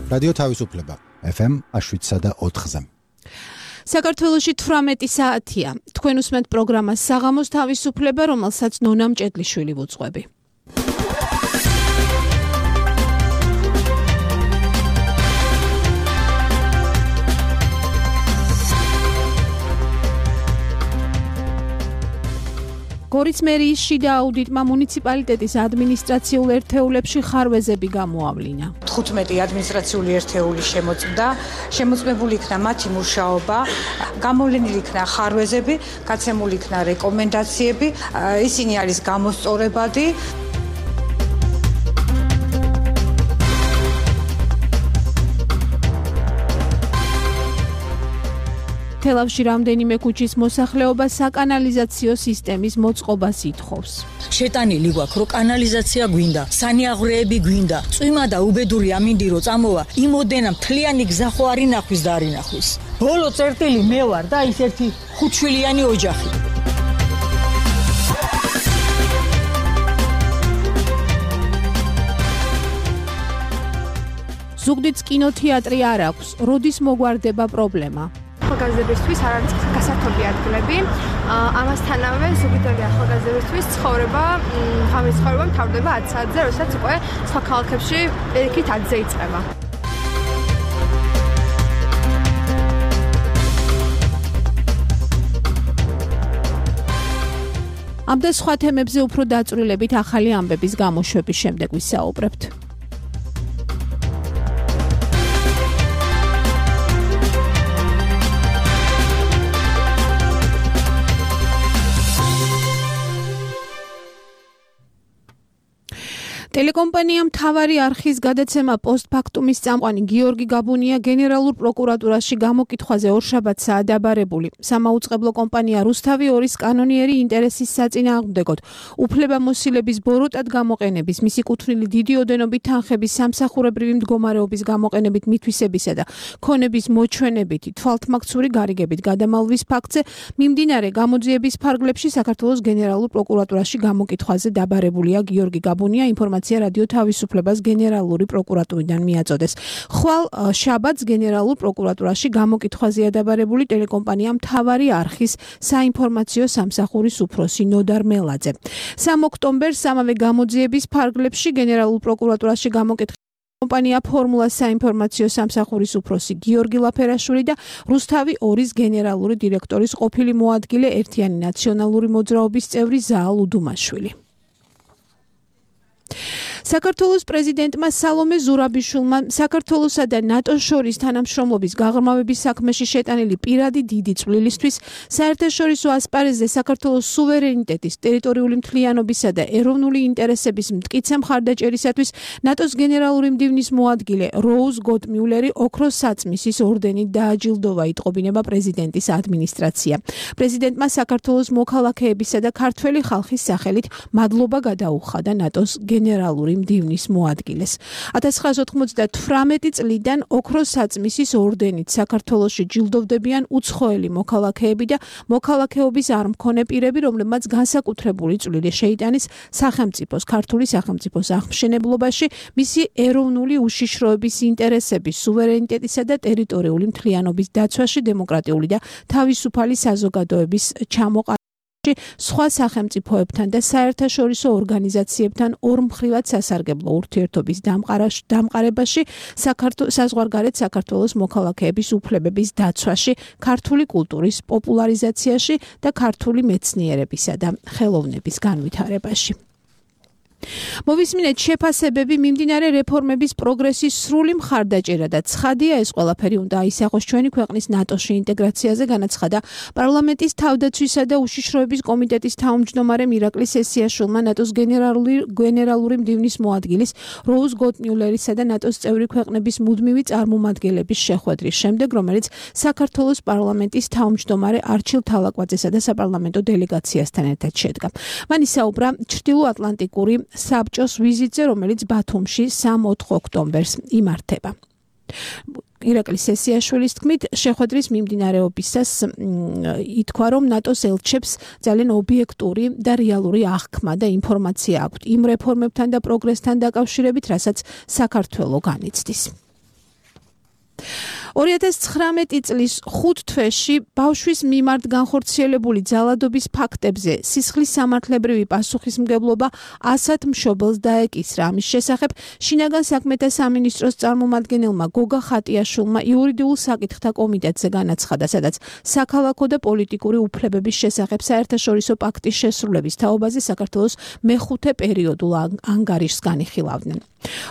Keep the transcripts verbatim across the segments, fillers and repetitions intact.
რადიო თავისუფლება ეფ ემ შვიდსა და ოთხზე. საქართველოში თვრამეტი საათია. თქვენ უსმენთ პროგრამას საღამოს თავისუფლება, რომელსაც ნონა მჭედლიშვილი ვუძღვები. გორის მერიის შიდა აუდიტმა მუნიციპალიტეტის ადმინისტრაციულ ერთეულებში ხარვეზები გამოავლინა. თხუთმეტი ადმინისტრაციული ერთეული შემოწმდა, შემოწმებული იქნა მათი მუშაობა, გამოვლენილი იქნა ხარვეზები, გაცემული იქნა რეკომენდაციები, ისინი არის გამოსწორებადი. თელავში რამდენიმე ქუჩის მოსახლეობა საკანალიზაციო სისტემის მოწყობას ითხოვს. შეტანილი გვაქვს, რომ კანალიზაცია გვინდა, სანიაღვრეები გვინდა, წვიმა და უბედური ამინდი რო წამოვა, იმოდენა მთლიანი გზა ხო არ ინახვის და არ ინახვის. ბოლო წერტილი მე ვარ და ის ერთი ხუთშვილიანი ოჯახი. ზუგდიდს კინოთეატრი არ აქვს, როდის მოგვარდება პრობლემა? ახალგაზრდებისთვის არ არის გასართობი ადგილები. ამასთანავე ზუგდიდელი ახალგაზრდებისთვის ცხოვრება, ღამის ცხოვრება მთავრდება ათ საათზე, როდესაც უკვე სხვა ქალაქებში პირიქით ათზე იწყება. ამ და სხვა თემებზე უფრო დაწვრილებით ახალი ამბების გამოშვების შემდეგ ვისაუბრებთ. ტელეკომპანია მთავარი არხის გადაცემა პოსტფაქტუმის წამყვანი გიორგი გაბუნია გენერალურ პროკურატურაში გამოკითხვაზე ორშაბათს დააბარებული. სამაუწყებლო კომპანია რუსთავი ორის კანონიერი ინტერესის საწინააღმდეგოდ უფლებამოსილების ბოროტად გამოყენების, მისი კუთვნილი დიდი ოდენობით თანხების სამსახურებრივი მდგომარეობის გამოყენებით მითვისებისა და ქონების მოჩვენებითი თვალთმაქცური გარიგებით გადამალვის ფაქტზე მიმდინარე გამოძიების ფარგლებში საქართველოს გენერალურ პროკურატურაში გამოკითხვაზე დააბარებულია გიორგი გაბუნია. ინფორმაცია რადიო თავისუფლებას გენერალური პროკურატურიდან მიაწოდეს. ხვალ შაბათს გენერალურ პროკურატურაში გამოკითხვაზე დააბარებული ტელეკომპანია მთავარი არხის საინფორმაციო სამსახურის უფროსი ნოდარ მელაძე. სამი ოქტომბერს ამავე გამოძიების ფარგლებში გენერალურ პროკურატურაში გამოკითხა კომპანია ფორმულა საინფორმაციო სამსახურის უფროსი გიორგი ლაფერაშვილი და რუსთავი ორის გენერალური დირექტორის ყოფილი მოადგილე ერთიანი ნაციონალური მოძრაობის წევრი ზაალ უდუმაშვილი. საქართველოს პრეზიდენტმა სალომე ზურაბიშვილმა საქართველოსა და ნატოს შორის თანამშრომლობის გაღრმავების საქმეში შეტანილი პირადი დიდი წვლილისთვის საერთაშორისო ასპარეზზე საქართველოს სუვერენიტეტის, ტერიტორიული მთლიანობისა და ეროვნული ინტერესების მტკიცე მხარდაჭერისათვის ნატოს გენერალური მდივნის მოადგილე როუზ გოტმიულერი ოქროს საწმისის ორდენით დააჯილდოვა, იტყობინება პრეზიდენტის ადმინისტრაცია. პრეზიდენტმა საქართველოს მოქალაქეებისა და ქართველი ხალხის სახელით მადლობა გადაუხადა ნატოს გენერალური მდივნის მოადგილეს. ათას ცხრაასი ოცდათვრამეტი წლიდან ოქროს საწმისის ორდენით საქართველოში ჯილდოვდებიან უცხოელი მოქალაქეები და მოქალაქეობის არ მქონე პირები, რომლებმაც განსაკუთრებული წვლილი შეიტანეს სახელმწიფოს, ქართული სახელმწიფოს აღმშენებლობაში, მისი ეროვნული უშიშროების ინტერესების, სუვერენიტეტისა და ტერიტორიული მთლიანობის დაცვაში, დემოკრატიული და თავისუფალი საზოგადოების ჩამოყალიბებაში, სხვა სახელმწიფოებთან და საერთაშორისო ორგანიზაციებთან ორმხრივად სასარგებლო ურთიერთობის დამყარებაში, საზღვარგარეთ საქართველოს მოქალაქეების უფლებების დაცვაში, ქართული კულტურის პოპულარიზაციაში და ქართული მეცნიერებისა და ხელოვნების განვითარებაში. მოვისმინეთ შეფასებები მიმდინარე რეფორმების პროგრესის სრული მხარდაჭერა და ცხადია ეს ყველაფერი უნდა აისახოს ჩვენი ქვეყნის ნატოში ინტეგრაციაზე, განაცხადა პარლამენტის თავდაცვისა და უშიშროების კომიტეტის თავმჯდომარემ ირაკლი სესიაშვილმა ნატოს გენერალური გენერალური მდივნის მოადგილის როუზ გოტმიულერისა და ნატოს წევრი ქვეყნების მუდმივი წარმომადგენლების შეხვედრის შემდეგ, რომელიც საქართველოს პარლამენტის თავმჯდომარე არჩილ თალაკვაძესა და საპარლამენტო დელეგაციასთან ერთად შედგა. მან ისაუბრა ჩრდილოატლანტიკური საბჭოს ვიზიტზე, რომელიც ბათუმში სამი-ოთხი ოქტომბერს იმართება. ირაკლი სესიაშვილის თქმით, შეხვედრის მიმდინარეობისას ითქვა, რომ ნატოს ელჩებს ძალიან ობიექტური და რეალური აღქმა და ინფორმაცია აქვთ იმ რეფორმებთან და პროგრესთან დაკავშირებით, რასაც საქართველო განიცდის. ორი ათას ცხრამეტი წლის ხუთ თვეში ბავშვის მიმართ განხორციელებული ძალადობის ფაქტებზე სისხლის სამართლებრივი პასუხისმგებლობა ასად მშობელს დაეკისრა. ამის შესახებ შინაგან საქმეთა სამინისტროს წარმომადგენელმა გოგა ხატიაშვილმა იურიდიულ საკითხთა კომიტეტზე განაცხადა, სადაც საქალაქო და პოლიტიკური უფლებების შესახებ საერთაშორისო პაქტის შესრულების თაობაზე საქართველოს მეხუთე პერიოდულ ანგარიშს განიხილავდნენ.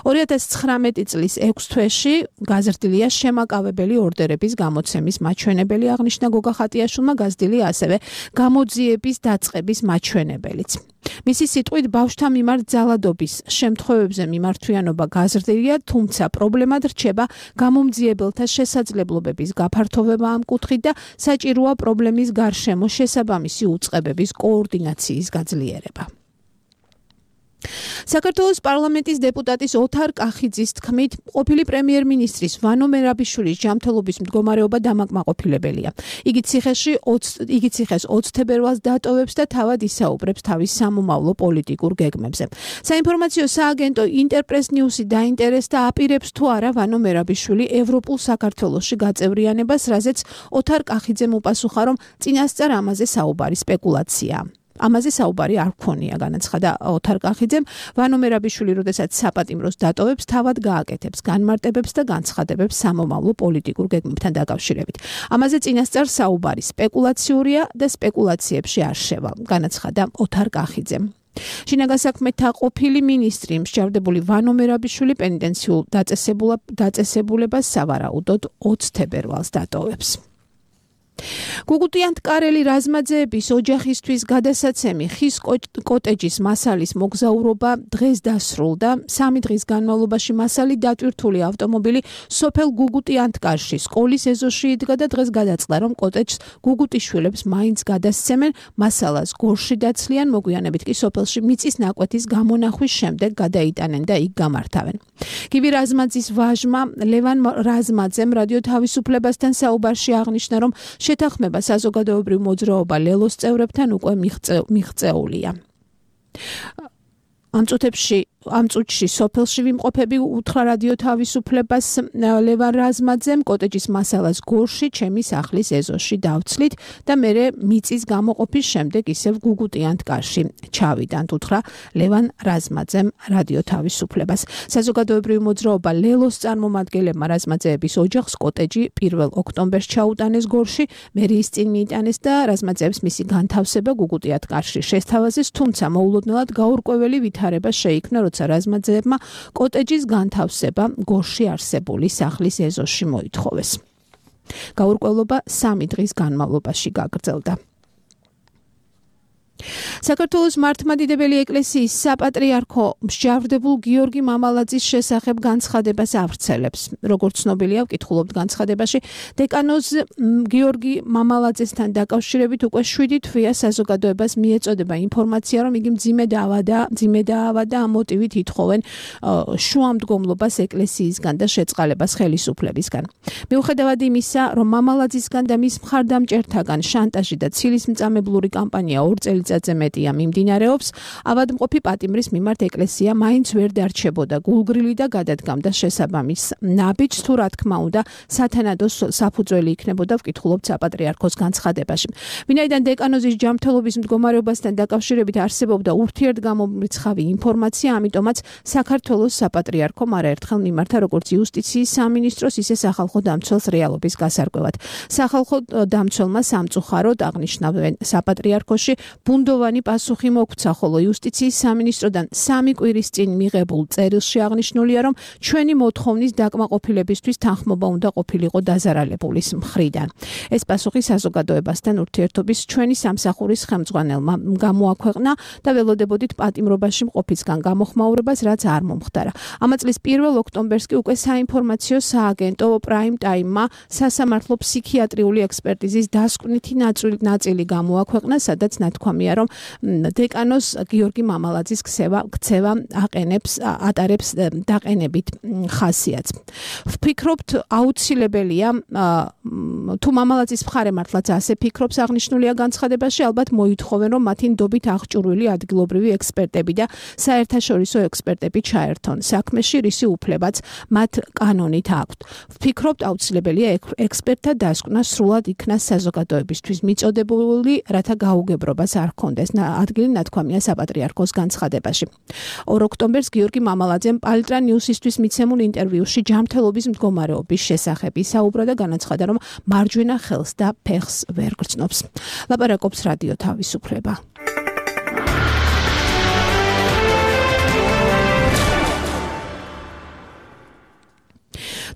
ორი ათას ცხრამეტი წლის ექვს თვეში გაზრდილია შემაკავებელი ორდერების გამოცემის მაჩვენებელი, აღნიშნა გოგა ხატიაშვილმა, გაზრდილია ასევე გამოძიების დაწყების მაჩვენებელიც. მისი სიტყვით ბავშვთა მიმართ ძალადობის შემთხვევებზე მიმართვიანობა გაზრდილია, თუმცა პრობლემად რჩება გამომძიებელთა შესაძლებლობების გაფართოვება ამ კუთხით და საჭიროა პრობლემის გარშემო შესაბამისი უწყებების კოორდინაციის გაძლიერება. საქართველოს პარლამენტის დეპუტატის ოთარ კახიძის თქმით, ყოფილი პრემიერ-მინისტრის ვანო მერაბიშვილის ჯანმრთელობის მდგომარეობა დამაკმაყოფილებელია. იგი ციხეში იგი ციხეს ოცი თებერვალს დატოვებს და თავად ისაუბრებს თავის სამომავლო პოლიტიკურ გეგმებზე. საინფორმაციო სააგენტო ინტერპრეს ნიუსი დაინტერესდა, აპირებს თუ არა ვანო მერაბიშვილი ევროპულ საქართველოში გაწევრიანებას, რაზეც ოთარ კახიძემ უპასუხა, რომ წინასწარ ამაზე საუბარი სპეკულაციაა. ამაზე საუბარი არ გქონია, განაცხადა ოთარ კახიძემ. ვანო მერაბიშვილი, როდესაც საპატიმროს დატოვებს, თავად გააკეთებს განმარტებებს და განცხადებებს სამომავლო პოლიტიკურ გეგმებთან დაკავშირებით. ამაზე წინასწარ საუბარი სპეკულაციურია და სპეკულაციებში არ შევა, განაცხადა ოთარ კახიძემ. შინაგან საქმეთა ყოფილი მინისტრი მსჯავრდებული ვანო მერაბიშვილი პენიტენციურ დაწესებულებას სავარაუდოდ ოცი თებერვალს დატოვებს. გუგუტიანტკარელი რაზმაძეების ოჯახისთვის გადასაცემი ხის კოტეჯის მასალის მოგზაურობა დღეს დასრულდა. სამი დღის განმავლობაში მასალი დატვირთული ავტომობილი სოფელ გუგუტიანტკარში სკოლის ეზოში იდგა და დღეს გადაწყდა, რომ კოტეჯს გუგუტიშვილებს მაინც გადასცემენ, მასალას გორში დაცლიან, მოგვიანებით კი სოფელში მიწის ნაკვეთის გამონახვის შემდეგ გადაიტანენ და იქ გამართავენ. გივი რაზმაძის ვაჟმა ლევან რაზმაძემ რადიო თავისუფლებასთან საუბარში აღნიშნა, რომ შეთანხმება საზოგადოებრივ მოძრაობა ლელოს წევრებთან უკვე მიღწეულია. ამ წუთებში ამ წუთში სოფელში ვიმყოფები უთხრა რადიო თავისუფლებას ლევან რაზმაძემ, კოტეჯის მასალას გორში ჩემი სახლის ეზოში დავცლით და მერე მიწის გამოყოფის შემდეგ ისევ გუგუტიანტკარში ჩავიდანთ, უთხრა ლევან რაზმაძემ რადიო თავისუფლებას. საზოგადოებრივი მოძრაობა ლელოს წარმომადგენლებმა რაზმაძეების ოჯახს კოტეჯი პირველ ოქტომბერს ჩაუტანეს გორში, მერიის წინ მიიტანეს და რაზმაძეებს მისი განთავსება გუგუტიანტკარში შესთავაზეს, თუმცა მოულოდნელად გაურკვეველი ვითარება შეიქმნა, როცა რაზმაძეებმა კოტეჯის განთავსება გორში არსებული სახლის ეზოში მოითხოვეს. გაურკვევლობა სამი დღის განმავლობაში გაგრძელდა. საქართველოს მართლმადიდებელი ეკლესიის საპატრიარქო მსჯავრდებულ გიორგი მამალაძის შესახებ განცხადებას ავრცელებს. როგორც ცნობილია, ვკითხულობთ განცხადებაში, დეკანოზ გიორგი მამალაძესთან დაკავშირებით უკვე შვიდი თვეა საზოგადოებას მიეწოდება ინფორმაცია, რომ იგი მძიმე დაავადა, მძიმე დაავადა, ამ მოტივით ითხოვენ შუამდგომლობას ეკლესიისგან და შეწყალებას ხელისუფლებისგან. მიუხედავად იმისა, რომ მამალაძისგან და მის მხარდამჭერთაგან შანტაჟი და ცილისმწამებლური კამპანია ორ წელიწადს მეტია მიმდინარეობს, ავადმყოფი პატიმრის მიმართ ეკლესია მაინც ვერ დარჩებოდა გულგრილი და გადადგამდა შესაბამის ნაბიჯს, თუ რა თქმა უნდა სათანადო საფუძველი იქნებოდა, ვკითხულობთ საპატრიარქოს განცხადებაში. ვინაიდან დეკანოზის ჯანმრთელობის მდგომარეობასთან დაკავშირებით არსებობდა ურთიერთგამომრიცხავი ინფორმაცია, ამიტომაც საქართველოს საპატრიარქომ არაერთხელ მიმართა როგორც იუსტიციის სამინისტროს, ისე სახალხო დამცველს რეალობის გასარკვევად. სახალხო დამცველმა სამწუხაროდ აღნიშნავენ საპატრიარქოში ბუნდოვანი პასუხი მოგვცა, ხოლო იუსტიციის სამინისტროდან სამი კვირის წინ მიღებულ წერილში აღნიშნულია, რომ ჩვენი მოთხოვნის დაკმაყოფილებისთვის თანხმობა უნდა ყოფილიყო დაზარალებულის მხრიდან. ეს პასუხი საზოგადოებასთან ურთიერთობის ჩვენი სამსახურის ხელმძღვანელმა გამოაქვეყნა და ველოდებოდით პატიმრობაში მყოფისგან გამოხმაურებას, რაც არ მომხდარა. ამა წლის პირველ ოქტომბერს კი უკვე საინფორმაციო სააგენტო პრაიმ ტაიმმა სასამართლო ფსიქიატრიული ექსპერტიზის დასკვნითი ნაწილი გამოაქვეყნა, სადაც ნათქვამია, რომ დეკანოს გიორგი მამალაძის ქცევა ქცევა აყენებს ატარებს დაყენებით ხასიათს. ვფიქრობთ აუცილებელია თუ მამალაძის მხარე მართლაც ასე ფიქრობს აღნიშნულია განცხადებაში ალბათ მოითხოვენ რომ მათი ნდობით აღჭურვილი ადგილობრივი ექსპერტები და საერთაშორისო ექსპერტები ჩაერთონ საქმეში რისი უფლებაც მათ კანონით აქვთ. ვფიქრობთ აუცილებელია ექსპერტთა დასკვნა სრულად იქნას საზოგადოებისთვის მიწოდებული რათა გაუგებრობას არ ჰქონდეს ადგილი ნათქვამია საპატრიარქოს განცხადებაში. ორ ოქტომბერს გიორგი მამალაძემ პალიტრა ნიუსისთვის მიცემულ ინტერვიუში ჯანმრთელობის მდგომარეობის შესახებ ისაუბრა და განაცხადა რომ მარჯვენა ხელს და ფეხს ვერ გრძნობს. ლაპარაკობს რადიო თავისუფლება.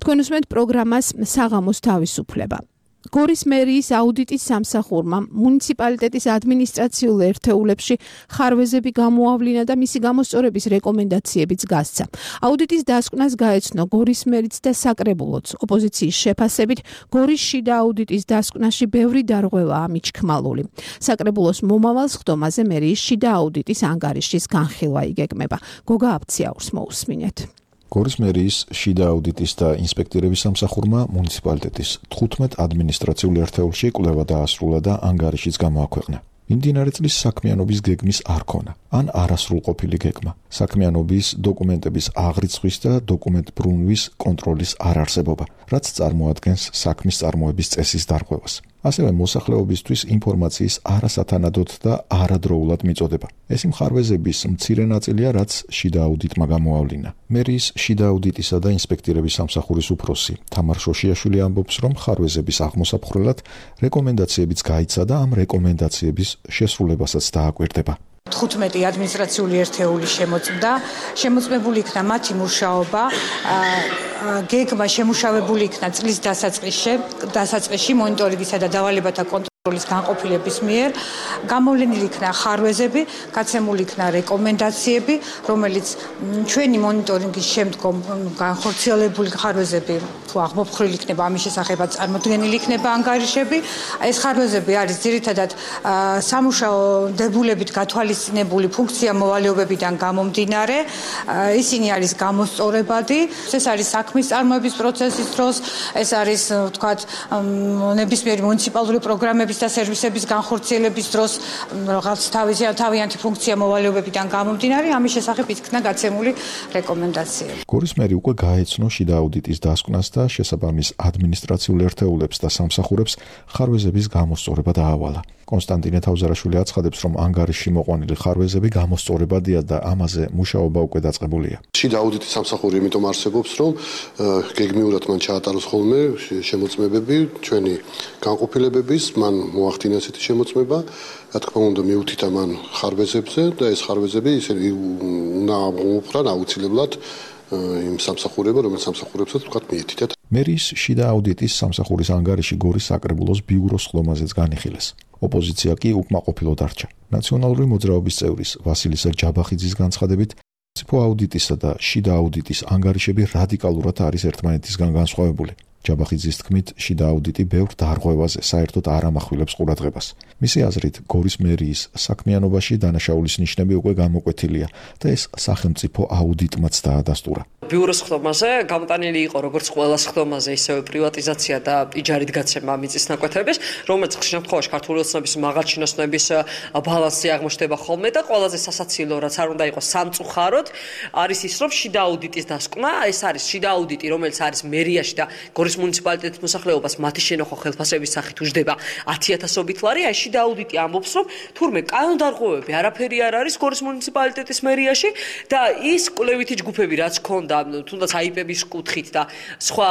თქვენ უსმენთ პროგრამას საღამოს თავისუფლება. გორის მერიის აუდიტის სამსახურმა მუნიციპალიტეტის ადმინისტრაციულ ერთეულებში ხარვეზები გამოავლინა და მისი გამოსწორების რეკომენდაციებიც გასცა. აუდიტის დასკვნას გაეცნო გორის მერიც და საკრებულოც. ოპოზიციის შეფასებით გორის შიდა აუდიტის დასკვნაში ბევრი დარღვევაა მიჩქმალული. საკრებულოს მომავალ სხდომაზე მერიის შიდა აუდიტის ანგარიშის განხილვა იგეგმება. გოგა აფციაურს მოусმინეთ. გორის მერიის შიდა აუდიტის და ინსპექტირების სამსახურმა მუნიციპალიტეტის თხუთმეტ ადმინისტრაციულ ერთეულში კვლევა დაასრულა და ანგარიშიც გამოაქვეყნა. მიმდინარე წლის საქმიანობის გეგმის არ ქონა, ან არასრულყოფილი გეგმა, საქმიანობის დოკუმენტების აღრიცხვის და დოკუმენტ ბრუნვის კონტროლის არარსებობა, რაც წარმოადგენს საქმის წარმოების წესის დარღვევას. ასევე მოსახლეობისთვის ინფორმაციის არასათანადოდ და არადროულად მიწოდება. ეს მხარვეზების მცირე ნაწილია, რაც შიდა აუდიტმა გამოავლინა. მერიის შიდა აუდიტისა და ინსპექტირების სამსახურის უფროსი თამარ შოშიაშვილი ამბობს, რომ მხარვეზების აღმოსაფხრელად რეკომენდაციებიც გაიცა და ამ რეკომენდაციების შესრულებასაც დააკვირდება. თხუთმეტი ადმინისტრაციული ერთეული შემოწმდა, შემოწმებული იქნა მათი მუშაობა, გეგმა შემუშავებული იქნა წლის დასაწყისში, დასაწყისში მონიტორინგისა და დავალებათა კონტროლის განყოფილების მიერ, გამოვლენილი იქნა ხარვეზები, გაცემული იქნა რეკომენდაციები, რომელიც ჩვენი მონიტორინგის შემდგომ განხორციელებული ხარვეზები თუ აღმოფხრილი იქნება, ამის შესახებაც წარმოდგენილი იქნება ანგარიშები. ეს ხარვეზები არის ძირითადად სამუშაო დებულებით გათვალისწინებული ფუნქცია მოვალეობებიდან გამომდინარე. ისინი არის გამოსწორებადი. ეს არის საქმის წარმოების პროცესის დროს, ეს არის ვთქვათ ნებისმიერი მუნიციპალური პროგრამების და სერვისების განხორციელების დროს რაღაც თავისი თავიანთი ფუნქცია მოვალეობებიდან გამომდინარე, ამის შესახებ იქნა გაცემული რეკომენდაციები. გორის მერი უკვე გაეცნო შიდა აუდიტის დასკვნას და შესაბამის ადმინისტრაციულ ერთეულებს და სამსახურებს ხარვეზების გამოსწორება დაავალა. კონსტანტინე თავზარაშვილი აცხადებს, რომ ანგარიშში მოყვანილი ხარვეზები გამოსწორებადია და ამაზე მუშაობა უკვე დაწყებულია. შიდა აუდიტის სამსახური იმიტომ არსებობს, რომ გეგმიურად მან ჩაატაროს ხოლმე შემოწმებები, ჩვენი განყოფილებების, მან მოახდინა ესეთი შემოწმება, რა თქმა უნდა მიუთითა მან ხარვეზებზე და ეს ხარვეზები ისე უნდა აღმოფხვრან აუცილებლად იმ სამსახურება, რომელიც სამსახურებსაც თქვათ მიეთითათ. მერიის შიდა აუდიტის სამსახურის ანგარიში გორის საკრებულოს ბიუროს სხდომაზეც განიხილეს. ოპოზიცია კი უკმაყოფილო დარჩა. ნაციონალური მოძრაობის წევრის ვასილისა ჯაბახიძის განცხადებით, მუნიციპო აუდიტისა და შიდა აუდიტის ანგარიშები რადიკალურად არის ერთმანეთისგან განსხვავებული. ჯაბახიძის თქმით, შიდა აუდიტი ბევრ დარღვევაზე საერთოდ არ ამახვილებს ყურადღებას. მისი აზრით, გორის მერიის საქმიანობაში დანაშაულის ნიშნები უკვე გამოკვეთილია და ეს სახელმწიფო აუდიტმაც დაადასტურა. ბიუროს სხდომაზე გამოტანილი იყო როგორც ყველა სხდომაზე, ისევე პრივატიზაცია და იჯარით გაცემა მიწის ნაკვეთების, რომელიც ხშირ შემთხვევაში ქართული ოცნების მაღალჩინოსნების ბალანსი აღმოჩნდება ხოლმე და ყველაზე სასაცილო, რაც არ უნდა იყოს სამწუხაროდ, არის ის, რომ შიდა აუდიტის დასკვნა, ეს არის შიდა აუდიტი, რომელიც არის მერიაში და გორის მუნიციპალიტეტის მოსახლეობას მათი შენახვა ხელფასების სახით უჯდება ათი ათასობით ლარი. აი შიდა აუდიტი ამბობს, რომ თურმე კანონდარღვევები არაფერი არ არის გორის მუნიციპალიტეტის მერიაში და ის კვლევითი ჯგუფები რაც ქონდა თუნდაც აიპების კუთხით და სხვა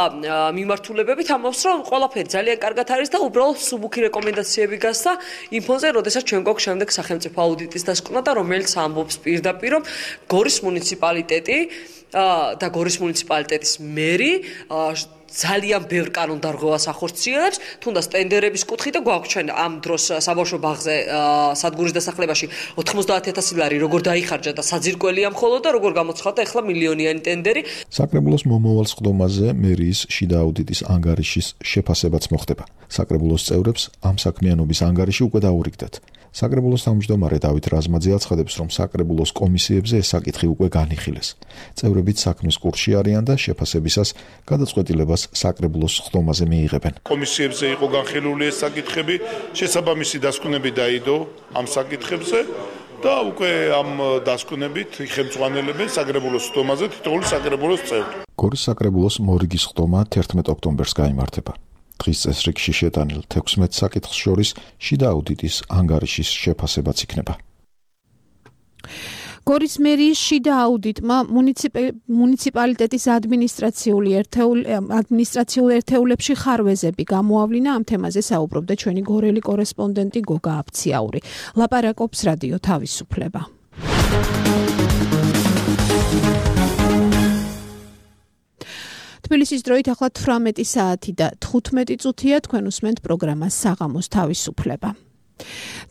მიმართულებებით ამბობს, რომ ყველაფერი ძალიან კარგად არის და უბრალოდ სუბუქი რეკომენდაციები გასცა იმ ფონზე, როდესაც ჩვენ გვაქვს შემდეგ სახელმწიფო აუდიტის დასკვნა და რომელიც ამბობს პირდაპირ, რომ გორის მუნიციპალიტეტი და გორის მუნიციპალიტეტის მერი ძალიან ბევრ კანონდარღვევას ახორციელებს, თუნდაც ტენდერების კუთხით და გვაქვს ჩვენ ამ დროს საბავშვო ბაღზე სადგურის დასახლებაში ოთხმოცდაათი ათასი ლარი როგორ დაიხარჯა და საძირკველია მხოლოდ და როგორ გამოცხადდა ახლა მილიონიანი ტენდერი. საკრებულოს მომავალ სხდომაზე მერიის შიდა აუდიტის ანგარიშის შეფასებაც მოხდება. საკრებულოს წევრებს ამ საქმიანობის ანგარიში უკვე დაურიგდათ. საკრებულოს თავმჯდომარე დავით რაზმაძე აცხადებს, რომ საკრებულოს კომისიებზე ეს საკითხი უკვე განიხილეს. წევრებიც საქმის კურსში არიან და შეფასებისას გადაწყვეტილებას საკრებულოს ხდომაზე მიიღებენ. კომისიებზე იყო განხილული ეს საკითხები, შესაბამისი დასკვნები დაიდო ამ საკითხებზე და უკვე ამ დასკვნებით იხელმძღვანელებენ საკრებულოს ხდომაზე თითოეული საკრებულოს წევრი. გორის საკრებულოს მორიგის ხდომა თერთმეტ ოქტომბერს გაიმართება. დღის წესრიგში შეტანილ თექვსმეტ საკითხს შორის შიდა აუდიტის ანგარიშის შეფასებაც იქნება. გორის მერიის შიდა აუდიტმა მუნიციპალიტეტის ადმინისტრაციული ადმინისტრაციულ ერთეულებში ხარვეზები გამოავლინა. ამ თემაზე საუბრობდა ჩვენი გორელი კორესპონდენტი გოგა აფციაური. ლაპარაკობს რადიო თავისუფლება. თბილისის დროით ახლა თვრამეტი საათი და თხუთმეტი წუთია. თქვენ უსმენთ პროგრამას საღამოს თავისუფლება.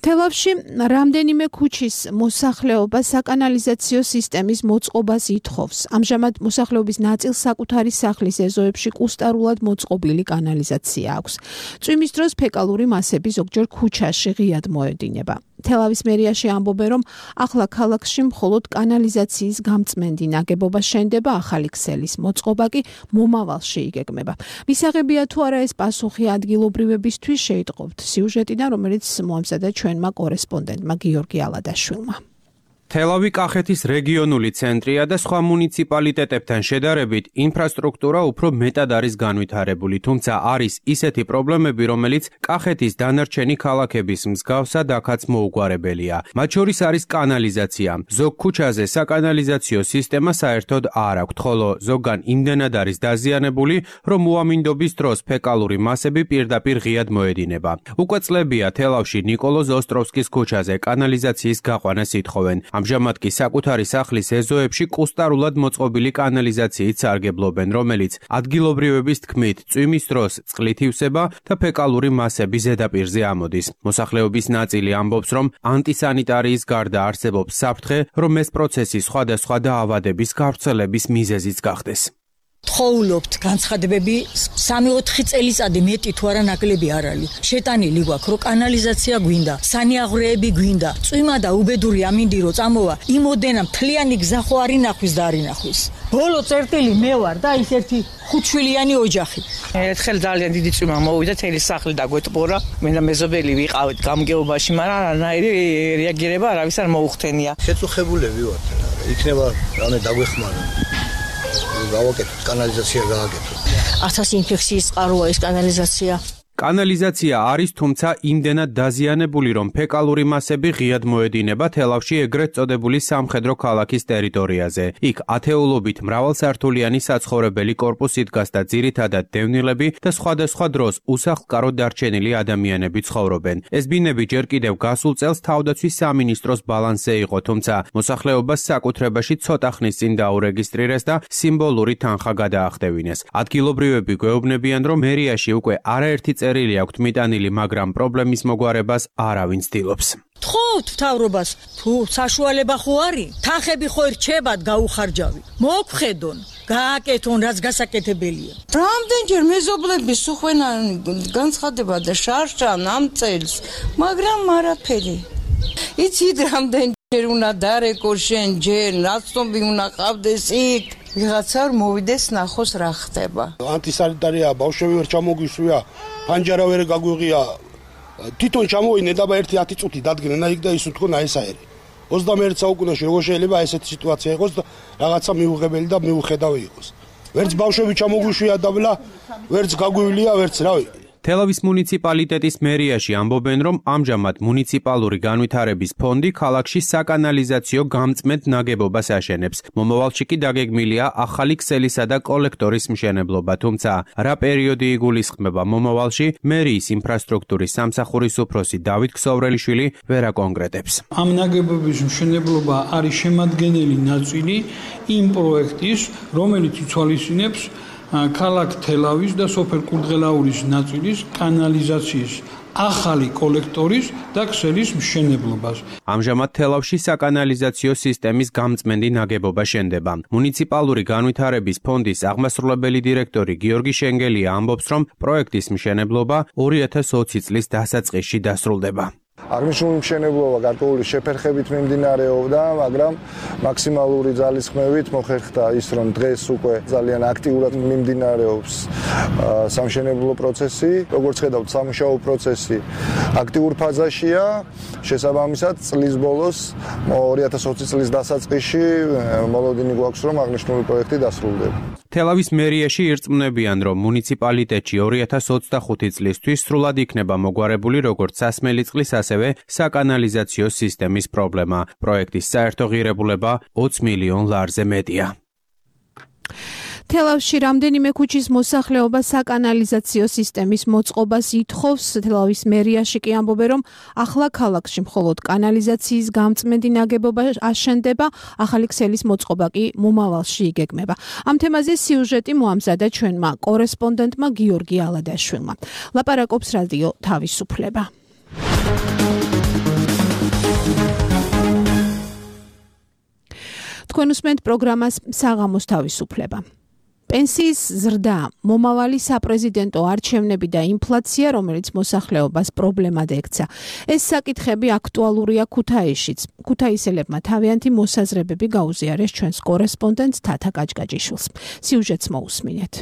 თელავში რამდენიმე ქუჩის მოსახლეობა საკანალიზაციო სისტემის მოწყობას ითხოვს. ამჟამად მოსახლეობის ნაწილს საკუთარი სახლის ეზოებში კუსტარულად მოწყობილი კანალიზაცია აქვს. წვიმის დროს ფეკალური მასები ზოგჯერ ქუჩაში ღიად მოედინება. თელავის მერიაში ამბობენ, რომ ახლა ქალაქში მხოლოდ კანალიზაციის გამწმენდი ნაგებობა შენდება, ახალი ქსელის მოწყობა კი მომავალში იგეგმება. მისაღებია თუ არა ეს პასუხი ადგილობრივებისთვის, შეიტყობთ სიუჟეტიდან, რომელიც მოამზადა ჩვენმა კორესპონდენტმა გიორგი ალადაშვილმა. თელავი კახეთის რეგიონული ცენტრია და სხვა მუნიციპალიტეტებთან შედარებით ინფრასტრუქტურა უფრო მეტად არის განვითარებული, თუმცა არის ისეთი პრობლემები, რომელიც კახეთის დანარჩენი ქალაქების მსგავსად აქაც მოუგვარებელია. მათ შორის არის კანალიზაცია. ზოგ ქუჩაზე საკანალიზაციო სისტემა საერთოდ არ აქვს, ხოლო ზოგან იმდენად არის დაზიანებული, რომ უამინდობის დროს ფეკალური მასები პირდაპირ ღიად მოედინება. უკვე წლებია თელავში ნიკოლოზ ოსტროვსკის ქუჩაზე კანალიზაციის გაყვანას ითხოვენ. ამჟამად კი საკუთარი სახლის ეზოებში კუსტარულად მოწყობილი კანალიზაციით სარგებლობენ, რომელიც ადგილობრივების თქმით წვიმის დროს წყლით ივსება და ფეკალური მასები ზედაპირზე ამოდის. მოსახლეობის ნაწილი ამბობს, რომ ანტისანიტარიის გარდა არსებობს საფრთხე, რომ ეს პროცესი სხვადასხვა დაავადების გავრცელების მიზეზიც გახდეს. თხოვლობთ განცხადებები სამი-ოთხი წელიწადი მეტი თუ არა ნაკლები არ არის. შეტანილი გვაქვს, რომ კანალიზაცია გვინდა, სანიაღვრეები გვინდა, წვიმა და უბედური ამინდი რო წამოვა, იმოდენა მთლიანი გზა ხო არ ინახვის და არ ინახვის. ბოლო წერტილი მე ვარ და ის ერთი ხუთშვილიანი ოჯახი. ერთხელ ძალიან დიდი წვიმა მოვიდა, თელი სახლი დაგვეტყორა. მე და მეზობელი ვიყავით გამგეობაში, მაგრამ არანაირი რეაგირება არავის არ მოუხდენია. შეწუხებულები ვართ, იქნება რამე დაგვეხმაროთ. გავაკეთოთ კანალიზაცია გააკეთოთ. ათასი ინფექციის წყაროა ეს კანალიზაცია. კანალიზაცია არის, თუმცა იმდენად დაზიანებული, რომ ფეკალური მასები ღიად მოედინება თელავში ეგრეთ წოდებული სამხედრო ქალაქის ტერიტორიაზე. იქ ათეულობით მრავალსართულიანი საცხოვრებელი კორპუსი დგას და ძირითადად დევნილები და სხვადასხვა დროს უსახლკაროდ დარჩენილი ადამიანები ცხოვრობენ. ეს ბინები ჯერ კიდევ გასულ წელს თავდაცვის სამინისტროს ბალანსზე იყო, თუმცა მოსახლეობას საკუთრებაში ცოტა ხნის წინ დაურეგისტრირეს და სიმბოლური თანხა გადაახდევინეს. ადგილობრივები გვეუბნებიან, რომ მერიაში უკვე არაერთი წერილი აქვთ მიტანილი, მაგრამ პრობლემის მოგვარებას არავინ ცდილობს. თხოვთ მთავრობას, თუ საშუალება ხო არის, თანხები ხო რჩებათ გაუხარჯავი. მოგხედონ, გააკეთონ რაც გასაკეთებელია. რამდენჯერ მეზობლების უხვენან განცხადება და შარშან ამ წელს, მაგრამ არაფერი. იცით რამდენჯერ უნდა დარეკო შენ ჯერ, ნაცნობი უნდა ყავდეს იქ. ვიღაცა მოვიდეს ნახოს რა ხდება. ანტისანიტარია, ბავშვები ვერ ჩამოგვისვია, ფანჯარა ვერ გაგვიღია. თვითონ ჩამოვიდნენ და ერთი ათი წუთი დადგნენ იქ და ის უთქონ აი ესაერი. ოცდამეერთე საუკუნეში როგორ შეიძლება ესეთი სიტუაცია იყოს და რაღაცა მიუღებელი და მიუხედავი იყოს. ვერც ბავშვები ჩამოგვისვია და ბლა, ვერც გაგვივლია, ვერც რავი. თელავის მუნიციპალიტეტის მერიაში ამბობენ, რომ ამჟამად მუნიციპალური განვითარების ფონდი ქალაქში საკანალიზაციო გამწმედ ნაგებობას აშენებს. მომავალში კი დაგეგმილია ახალი ქსელისა და კოლექტორის მშენებლობა, თუმცა რა პერიოდი იგულისხმება მომავალში, მერიის ინფრასტრუქტურის სამსახურის უფროსი დავით ქსოვრელიშვილი ვერ აკონკრეტებს. ამ ნაგებობის მშენებლობა არის შემადგენელი ნაწილი იმ პროექტის, რომელიც ითვალისწინებს ქალაქ თელავის და სოფელ კურდღელაურის ნაწილის კანალიზაციის ახალი კოლექტორის და ქსელის მშენებლობას. ამჟამად თელავში საკანალიზაციო სისტემის გამწმენდი ნაგებობა შენდება. მუნიციპალური განვითარების ფონდის აღმასრულებელი დირექტორი გიორგი შენგელია ამბობს, რომ პროექტის მშენებლობა ორი ათას ოცი წლის დასაწყისში დასრულდება. აღნიშნული მშენებლობა გარკვეული შეფერხებით მიმდინარეობდა, მაგრამ მაქსიმალური ძალისხმევით მოხერხდა ის, რომ დღეს უკვე ძალიან აქტიურად მიმდინარეობს სამშენებლო პროცესი. როგორც ხედავთ, სამუშაო პროცესი აქტიურ ფაზაშია. შესაბამისად, წლის ბოლოს ორი ათას ოცი წლის დასაწყისში მოლოდინი გვაქვს, რომ აღნიშნული პროექტი დასრულდება. თელავის მერიაში ირწმუნებიან, რომ მუნიციპალიტეტში ორი ათას ოცდახუთი წლისთვის სრულად იქნება მოგვარებული როგორც სასმელი წყლის, ასევე საკანალიზაციო სისტემის პრობლემა. პროექტის საერთო ღირებულება ოცი მილიონ ლარზე მეტია. თელავში რამდენიმე ქუჩის მოსახლეობა საკანალიზაციო სისტემის მოწყობას ითხოვს. თელავის მერიაში კი ამბობენ, რომ ახლა ქალაქში მხოლოდ კანალიზაციის გამწმენდი ნაგებობა აშენდება, ახალი ქსელის მოწყობა კი მომავალში იგეგმება. ამ თემაზე სიუჟეტი მოამზადა ჩვენმა კორესპონდენტმა გიორგი ალადაშვილმა. ლაპარაკობს რადიო თავისუფლება. თქვენ უსმენთ პროგრამას საღამოს თავისუფლება. პენსიის ზრდა, მომავალი საპრეზიდენტო არჩევნები და ინფლაცია, რომელიც მოსახლეობას პრობლემად ექცა. ეს საკითხები აქტუალურია ქუთაისშიც. ქუთაისელებმა თავიანთი მოსაზრებები გაუზიარეს ჩვენს კორესპონდენტს თათა კაჭკაჭიშვილს. სიუჟეტს მოусმინეთ.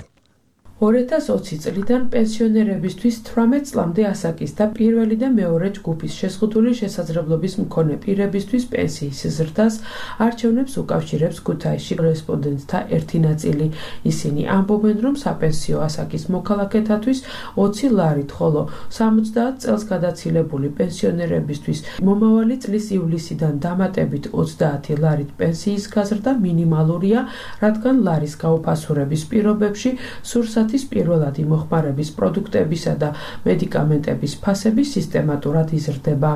ორი ათას ოცი წლიდან პენსიონერებისთვის თვრამეტ წლამდე ასაკის და პირველი და მეორე ჯგუფის შეზღუდული შესაძლებლობის მქონე პირებისთვის პენსიის ზრდას არჩევნებს უკავშირებს ქუთაისში კორესპონდენტთა ერთი ნაწილი. ისინი ამბობენ, რომ საპენსიო ასაკის მოქალაქეთათვის ოცი ლარით, ხოლო სამოცდაათ წელს გადაცილებული პენსიონერებისთვის მომავალი წლის ივლისიდან დამატებით ოცდაათი ლარით პენსიის გაზრდა მინიმალურია, რადგან ლარის გაუფასურების პირობებში სურსათ პირველადი მოხმარების პროდუქტებისა და მედიკამენტების ფასები სისტემატურად იზრდება.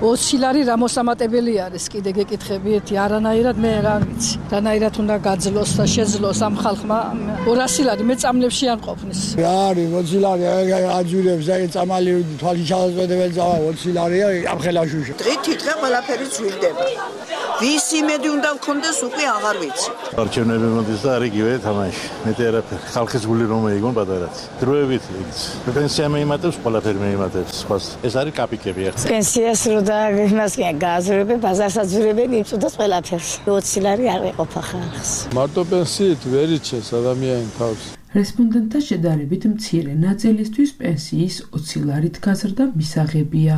ოცი ლარი რა მოსამატებელი არის, კიდე გეკითხებიეთ, არანაირად მე რა ვიცი. რანაირად უნდა გაძლოს და შეძლოს ამ ხალხმა ორასი ლარი მეწამლებში არ ყოფნის. რა არის ოცი ლარი აჯურებს, აი წამალი თვალი ჩავაწოდებენ წავა ოცი ლარია ამ ხელაშუშა. დღით თითქოს ყველაფერი ძვირდება. ვის იმედი უნდა გქონდეს უკვე აღარ ვიცი. არჩევნები მოდის და არიგივე თამაში. მეტი არაფერი. ხალხის გული რომ ეიგონ პატარაც. დროებით იგიც. პენსია მეიმატებს, ყველაფერი მეიმატებს. ხოს ეს არის კაპიკები ახლა. პენსიას რო და იმას კი გააზრებენ, ბაზარსაც ძვრებენ, იწუდეს ყველაფერს. ოცი ლარი არ ეყოფა ხალხს. მარტო პენსიით ვერ იჩეს ადამიანი თავს. რესპონდენტთა შედარებით მცირე ნაწილისთვის პენსიის ოცი ლარით გაზრდა მისაღებია.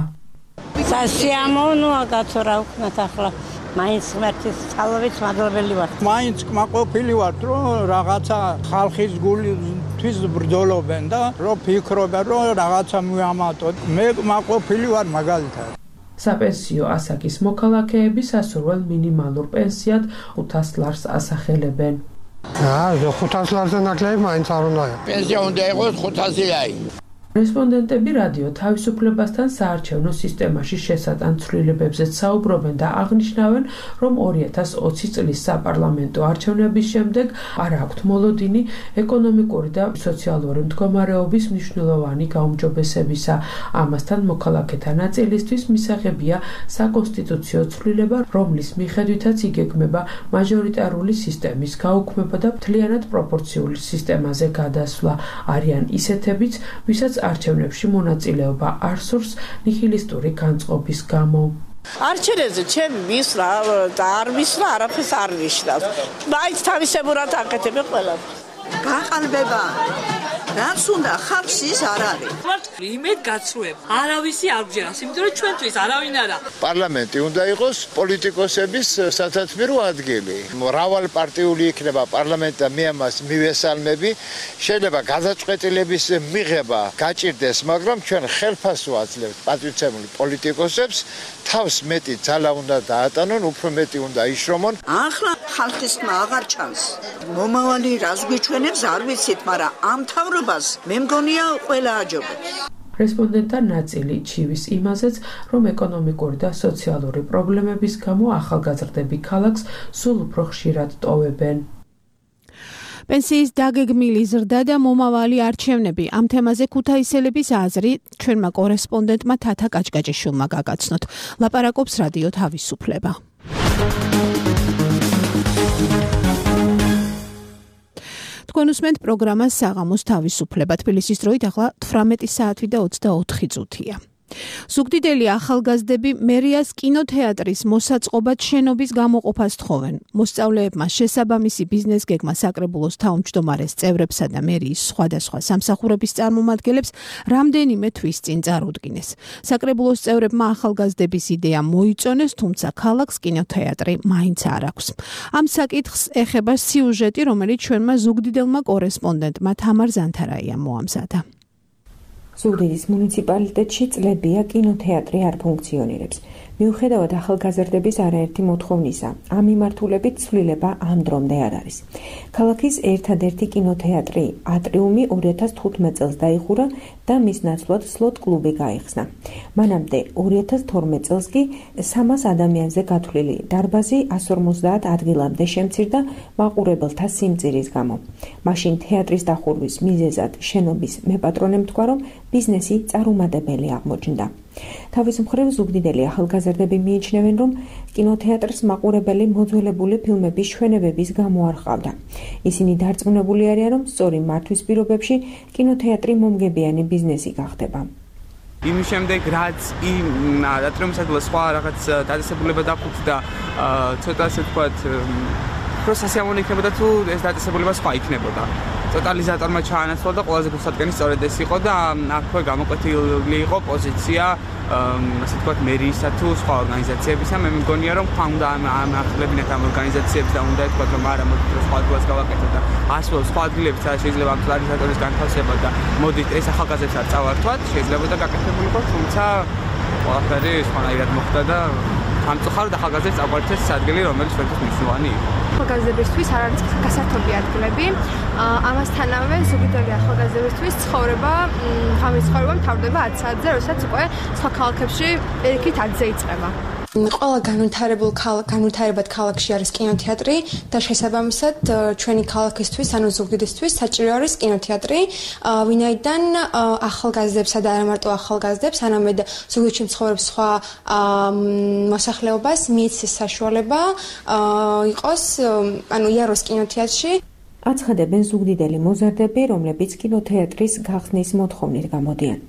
სასიამოვნოა კაცო რა ვქნათ ახლა. მაინც ღმერთის წყალობით მადლობელი ვარ. მაინც კმაყოფილი ვარ, რომ რაღაცა ხალხის გულისთვის ბრძოლობენ და რომ ფიქრობენ, რომ რაღაცა მივამატოთ. მე კმაყოფილი ვარ მაგალითად. საპენსიო ასაკის მოქალაქეები სასურველ მინიმალურ პენსიად ხუთას ლარს ასახელებენ. აა, ხუთას ლარზე ნაკლები მაინც არ უნდა. პენსია უნდა იყოს ხუთასი ლარი. რესპონდენტები რადიო თავისუფლებასთან საარჩევნო სისტემაში შესატან ცვლილებებზეც საუბრობენ და აღნიშნავენ, რომ ორი ათას ოცი წლის საპარლამენტო არჩევნების შემდეგ არ აქვთ მოლოდინი ეკონომიკური და სოციალური მდგომარეობის მნიშვნელოვანი გაუმჯობესებისა. ამასთან მოქალაქეთა ნაწილისთვის მისაღებია საკონსტიტუციო ცვლილება, რომლის მიხედვითაც იგეგმება მაჟორიტარული სისტემის გაუქმება და მთლიანად პროპორციული სისტემაზე გადასვლა. არიან ისეთებიც, ვისაც არჩევნებში მონაწილეობა არ სურს ნიჰილისტური განწყობის გამო. არჩევნებზე ჩემი მისვლა და არ მისვლა არაფერს არ ნიშნავს. მაინც თავისებურად აკეთებ ყველაფერს. გაყალბება. რაც უნდა ხალხს ის არ არის. იმედ გაცრუება. არავისი არ გჯერას, იმიტომ რომ ჩვენთვის არავინ არა. პარლამენტი უნდა იყოს პოლიტიკოსების სათათბირო ადგილი. მრავალპარტიული იქნება პარლამენტი და მე ამას მივესალმები. შეიძლება გადაწყვეტილების მიღება გაჭირდეს, მაგრამ ჩვენ ხელფასს ვაძლევთ პატრიცემული პოლიტიკოსებს, თავს მეტი ძალა უნდა დაატანონ, უფრო მეტი უნდა იშრომონ. ახლა ხალხისმა აღარ ჩანს. მომავალი რას გვიჩვენებს არ ვიცით, მაგრამ ამ თავრობას მე მგონია ყველა აჯობებს. რესპონდენტთა ნაწილი ჩივის იმაზეც, რომ ეკონომიკური და სოციალური პრობლემების გამო ახალგაზრდები ქალაქს სულ უფრო ხშირად ტოვებენ. პენსიის დაგეგმილი ზრდა და მომავალი არჩევნები. ამ თემაზე ქუთაისელების აზრი ჩვენმა კორესპონდენტმა თათა კაჭკაჭიშვილმა გაგაცნოთ. ლაპარაკობს რადიო თავისუფლება. თქვენ უსმენთ პროგრამას საღამოს თავისუფლება. თბილისის დროით ახლა თვრამეტი საათი და ოცდაოთხი წუთია. ზუგდიდელი ახალგაზრდები მერიას კინოთეატრის მოსაწყობად შენობის გამოყოფას თხოვენ. მოსწავლეებმა შესაბამისი ბიზნეს გეგმა საკრებულოს თავმჯდომარეს წევრებსა და მერიის სხვადასხვა სამსახურების წარმომადგენლებს რამდენიმე თვის წინ წარუდგინეს. საკრებულოს წევრებმა ახალგაზრდების იდეა მოიწონეს, თუმცა ქალაქს კინოთეატრი მაინც არ აქვს. ამ საკითხს ეხება სიუჟეტი, რომელიც ჩვენმა ზუგდიდელმა კორესპონდენტმა თამარ ზანთარაია მოამზადა. ზუგდიდის მუნიციპალიტეტში წლებია კინოთეატრი არ ფუნქციონირებს. მიუხედავად ახალგაზრდების არაერთი მოთხოვნისა, ამ მიმართულებით ცვლილება ამ დრომდე არ არის. ქალაქის ერთადერთი კინოთეატრი ატრიუმი ორი ათას თხუთმეტ წელს დაიხურა და მის ნაცვლად სლოტ კლუბი გაიხსნა. მანამდე ორი ათას თორმეტ წელს კი სამას ადამიანზე გათვლილი დარბაზი εκατს ორმოცდაათ ადგილამდე შემცირდა მაყურებელთა სიმწირის გამო. მაშინ თეატრის დახურვის მიზეზად შენობის მეპატრონე თქვა, რომ ბიზნესი წარუმატებელი აღმოჩნდა. თავის მხრივ ზუგდიდელი ახალგაზრდები მიიჩნევენ, რომ კინოთეატრს მაყურებელი მოძველებული ფილმების ჩვენებების გამო არ ჰყავდა. ისინი დარწმუნებული არიან, რომ სწორი მართვის პირობებში კინოთეატრი მომგებიანი ბიზნესი გახდება. იმის შემდეგ, რაც იმ ატრიუმსადმი სხვა რაღაც დაწესებულება დაფუძნდა, ცოტა ასე ვთქვათ, პროცესიამონი იქნებოდა თუ ეს დაწესებულება სხვა იქნებოდა. ტოტალიზატორმა ჩაანაცვლა და ყველაზე გულსადგენელი სწორედ ეს იყო და აქვე გამოკვეთილი იყო პოზიცია ასე ვთქვათ მერიისა თუ სხვა ორგანიზაციებისა. მე მგონია რომ ხა უნდა ამ ახლებინათ ამ ორგანიზაციებს და უნდა ეთქვათ რომ არა მოდით რომ სხვა ადგილას გავაკეთოთ და ასველ სხვა ადგილებს შეიძლება ამ ტოტალიზატორის განთავსება და მოდით ეს ახალგაზრდებს არ წავართვათ, შეიძლება და გაკეთებულიყო, თუმცა ყველაფერი სხვანაირად მოხდა და სამწუხაროდ ახალგაზრდებს წაგვართეს ადგილი, რომელიც ჩვენთვის მნიშვნელოვანი იყო. ახალგაზრდებისთვის არ არის გასართობი ადგილები. ამასთანავე ზუგდიდელი ახალგაზრდებისთვის ცხოვრება, ღამის ცხოვრება მთავრდება ათ საათზე, როდესაც უკვე სხვა ქალაქებში ერთ ათზე იწყება. ყველა განვითარებულ განვითარებად ქალაქში არის კინოთეატრი და შესაბამისად ჩვენი ქალაქისთვის, ანუ ზუგდიდისთვის საჭირო არის კინოთეატრი, ვინაიდან ახალგაზრდებსა და არა მარტო ახალგაზრდებს, არამედ ზუგდიდში მცხოვრებ სხვა მოსახლეობას მიეცეს საშუალება იყოს, ანუ იაროს კინოთეატრში. აცხადებენ ზუგდიდელი მოზარდები, რომლებიც კინოთეატრის გახსნის მოთხოვნით გამოდიან.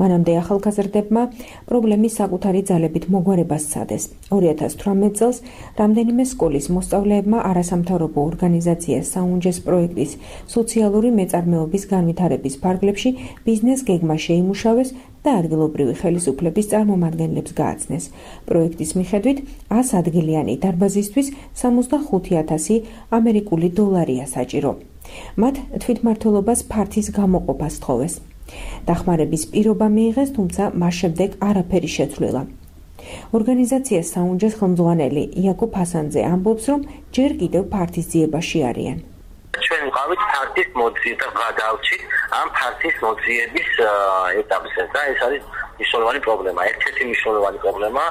მანამდე ახალგაზრდებმა პრობლემის საკუთარი ძალებით მოგვარებას სცადეს. ორი ათას თვრამეტ წელს რამდენიმე სკოლის მოსწავლეებმა არასამთავრობო ორგანიზაცია საუნჯეს პროექტის სოციალური მეწარმეობის განვითარების ფარგლებში ბიზნეს გეგმა შეიმუშავეს და ადგილობრივი ხელისუფლების წარმომადგენლებს გააცნეს. პროექტის მიხედვით ას ადგილიანი დარბაზისთვის სამოცდახუთი ათასი ამერიკული დოლარია საჭირო. მათ თვითმმართველობას ფართის გამოყოფას თხოვეს. დახმარების პირობა მიიღეს, თუმცა მას შემდეგ არაფერი შეცვლილა. ორგანიზაცია საუნჯეს ხელმძღვანელი იაკობ ჰასანძე ამბობს, რომ ჯერ კიდევ ფართის ძიებაში არიან. ჩვენ ვიყავით ფართის მოძიება და გადავჭით ამ ფართის მოძიების ეტაპზე და ეს არის მნიშვნელოვანი პრობლემა. ერთ-ერთი მნიშვნელოვანი პრობლემა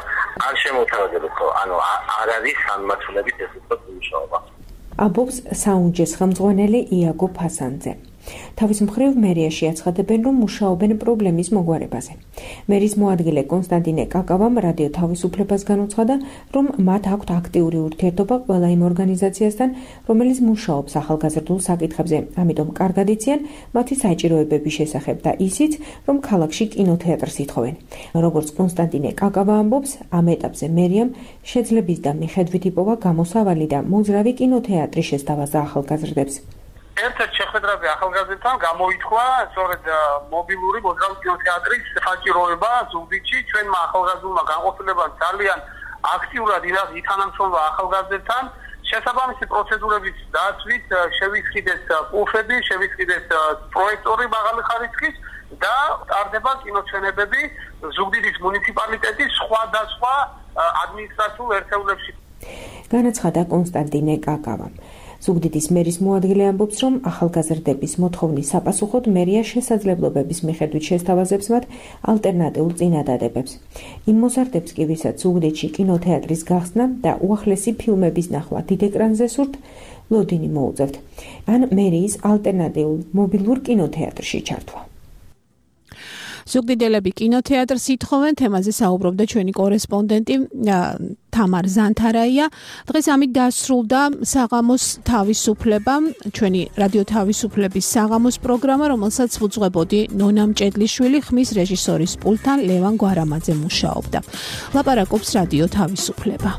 არ შემოთავაზებულიყო, ანუ არ არის სამმართველობით ეს უფრო მნიშვნელობა. ამბობს საუნჯეს ხელმძღვანელი იაკობ ჰასანძე. თავის მხრივ მერიაში აცხადებენ, რომ მუშაობენ პრობლემის მოგვარებაზე. მერის მოადგილე კონსტანტინე კაკავამ რადიო თავისუფლებას განუცხადა, რომ მათ აქვთ აქტიური ურთიერთობა ყველა იმ ორგანიზაციასთან, რომელიც მუშაობს ახალგაზრდულ საკითხებზე, ამიტომ კარგად იციან მათი საჭიროებების შესახებ და ისიც, რომ ქალაქში კინოთეატრს ითხოვენ. როგორც კონსტანტინე კაკავა ამბობს, ამ ეტაპზე მერიამ შეძლების და მიხედვით იპოვა გამოსავალი და მოძრავი კინოთეატრი შესთავაზა ახალგაზრდებს. ერთ-ერთ შეხვედრაზე ახალგაზრდებთან გამოითქვა სწორედ მობილური მოძრავი კინოთეატრის საჭიროება ზუგდიდში. ჩვენმა ახალგაზრდულმა განყოფილებამ ძალიან აქტიურად ითანამშრომლა ახალგაზრდებთან. შესაბამისი პროცედურების დაცვით შევისყიდეს პულსები, შევისყიდეს პროექტორი მაღალი ხარისხის და ტარდება კინოჩვენებები ზუგდიდის მუნიციპალიტეტის სხვადასხვა ადმინისტრაციულ ერთეულებში. განაცხადა კონსტანტინე კაკავა. ზუგდიდის მერის მოადგილე ამბობს, რომ ახალგაზრდების მოთხოვნის საპასუხოდ მერია შესაძლებლობების მიხედვით შესთავაზებს მათ ალტერნატიულ წინადადებებს. იმ მოზარდებს კი, ვისაც ზუგდიდში კინოთეატრის გახსნა და უახლესი ფილმების ნახვა დიდ ეკრანზე სურთ, ლოდინი მოუწევთ, ან მერიის ალტერნატიულ მობილურ კინოთეატრში ჩართვა. ზუგდიდელები კინოთეატრს ითხოვენ, თემაზე საუბრობდა ჩვენი კორესპონდენტი თამარ ზანთარაია. დღეს ამით დასრულდა საღამოს თავისუფლება, ჩვენი რადიო თავისუფლების საღამოს პროგრამა, რომელსაც უძღვებოდი ნონა მჭედლიშვილი, ხმის რეჟისორის პულტთან ლევან გვარამაძე მუშაობდა. ლაპარაკობს რადიო თავისუფლება.